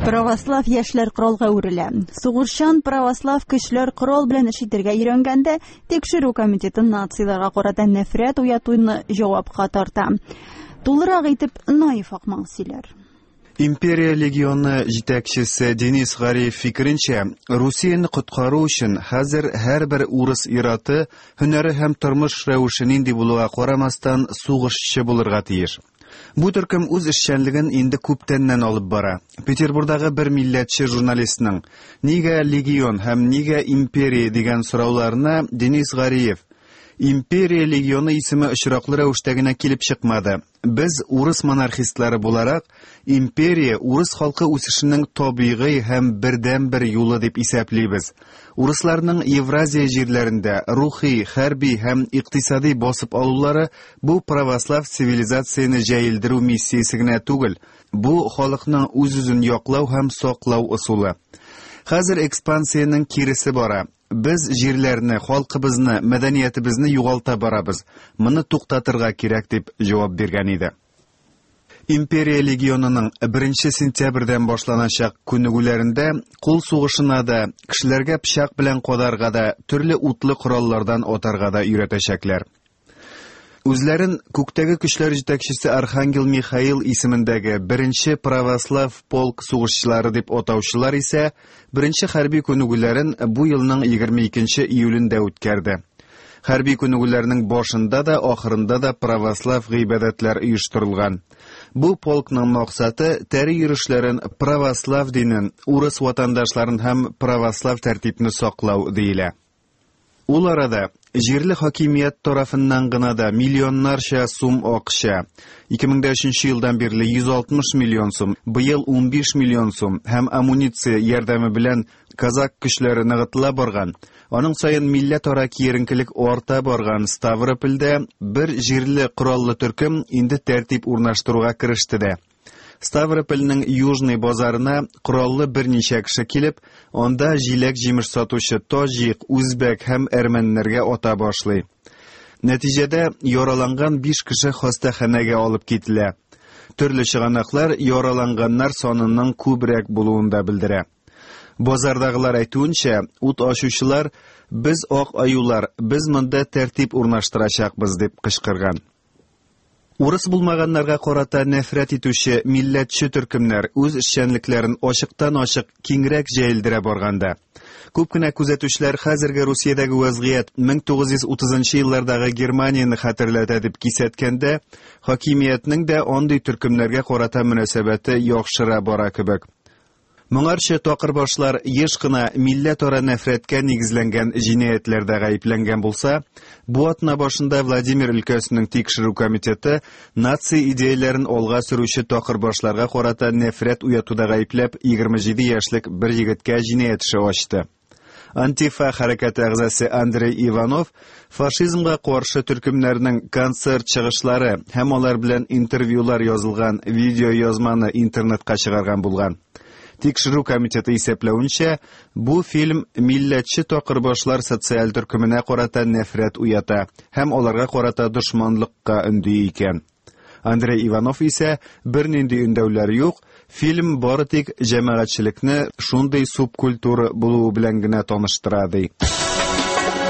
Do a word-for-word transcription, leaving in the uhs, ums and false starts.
Православ яшьләр коралга әверелә. Сугышчан православ көчләр корал белән эш итәргә өйрәнгәндә, тикшерү комитеты нацияларга карата нәфрәт уятуны җавапка тарта. Тулырак итеп Наиф Акмал сөйләр. Империя легионы җитәкчесе Денис Гариев фикеренчә, Русияне коткару өчен хәзер һәрбер урыс ираты һөнәре һәм тормыш рәвеше нинди булуга карамастан сугышчы булырга тиеш. Бу төркем үз эшчәнлеген инде күптәннән алып бара. Петербургдагы бер милләтче журналистның «Нигә легион һәм нигә империя?» дигән сорауларына Денис Гариев: «Империя легионы исеме очраклы рәвештә генә килеп чыкмады. Без урыс монархистлары буларак, империя урыс халкы үсешенең табигый һәм бердәнбер юлы дип исәплибез. Урысларның Евразия җирләрендә рухи, хәрби һәм икътисади басып алулары бу православ цивилизацияне җәелдерү миссиясе генә түгел, бу халыкның үз-үзен яклау һәм саклау ысулы. Хәзер экспансиянең киресе бара. Без җирләрне, халкыбызны, мәдәниятебезне югалта барабыз. Моны туктатырга кирәк», дип җавап биргән иде. Империя легионының беренче сентябрьдән башланачак күнегүләрендә кул сугышына да, кешеләргә пычак белән кадарга да, төрле утлы кораллардан атарга да өйрәтәчәкләр. Үзләрен күктәге көчләр җитәкчесе Архангел Михаил исемендәге беренче православ полк сугышчылары дип атаучылар исә беренче хәрби күнегүләрен бу елның егерме икенче июлендә үткәрде. Хәрби күнегүләрнең башында да, ахырында да православ гыйбадәтләр оештырылган. Бу полкның максаты тәре йөрешләрен, православ динен, урыс ватандашларын һәм православ тәртипне саклау диелә. Ул арада җирле хакимият тарафыннан гына да миллионнарча сум акча, ике мең дә өченче елдан бирле йөз алтмыш миллион сум, быел унбиш миллион сум һәм амуниция ярдәме белән казак көчләре ныгытыла барган, аның саен милләтара киеренкелек арта барган Ставропольдә бер җирле кораллы төркем инде тәртип урнаштыруга кереште дә. Ставропольнең Южный базарына кораллы берничә кеше килеп, анда җиләк-җимеш сатучы таҗик, үзбәк һәм әрмәннәргә ата башлый. Нәтиҗәдә яраланган биш кеше хастаханәгә алып кителә. Төрле чыганаклар яраланганнар санының күбрәк булуын да белдерә. Базардагылар әйтүенчә, ут ачучылар «Без ак аюлар, без монда тәртип урнаштырачакбыз» дип кычкырган. Урыс булмаганнарга карата нәфрәт итүче милләтче төркемнәр үз эшчәнлекләрен ачыктан-ачык киңрәк җәелдерә барганда, күп кенә күзәтүчеләр хәзерге Русиядәге вазгыять мең тугыз йөз утызынчы еллардагы Германияне хәтерләтә дип кисәткәндә, хакимиятнең дә андый төркемнәргә карата мөнәсәбәте яхшыра бара кебек. Моңарчы такырбашлар еш кына милләтара нәфрәткә нигезләнгән җинаятьләрдә гаепләнгән булса, бу атна башында Владимир өлкәсенең тикшерү комитеты нация идеяләрен алга сөрүче такырбашларга карата нәфрәт уятуда гаепләп егерме җиде яшьлек бер егеткә җинаять эше ачты. Антифа хәрәкәте әгъзасы Андрей Иванов фашизмга каршы төркемнәрнең концерт чыгышлары һәм алар белән интервьюлар язылган видеоязманы интернетка чыгарган булган. Тикшерү комитеты исәпләвенчә, бу фильм милләтче такырбашлар социаль төркеменә карата нәфрәт уята һәм аларга карата дошманлыкка өнди икән. Андрей Иванов исә бернинди өндәүләр юк, фильм бары тик җәмәгатьчелекне шундый субкультура булуы белән генә таныштыра, ди.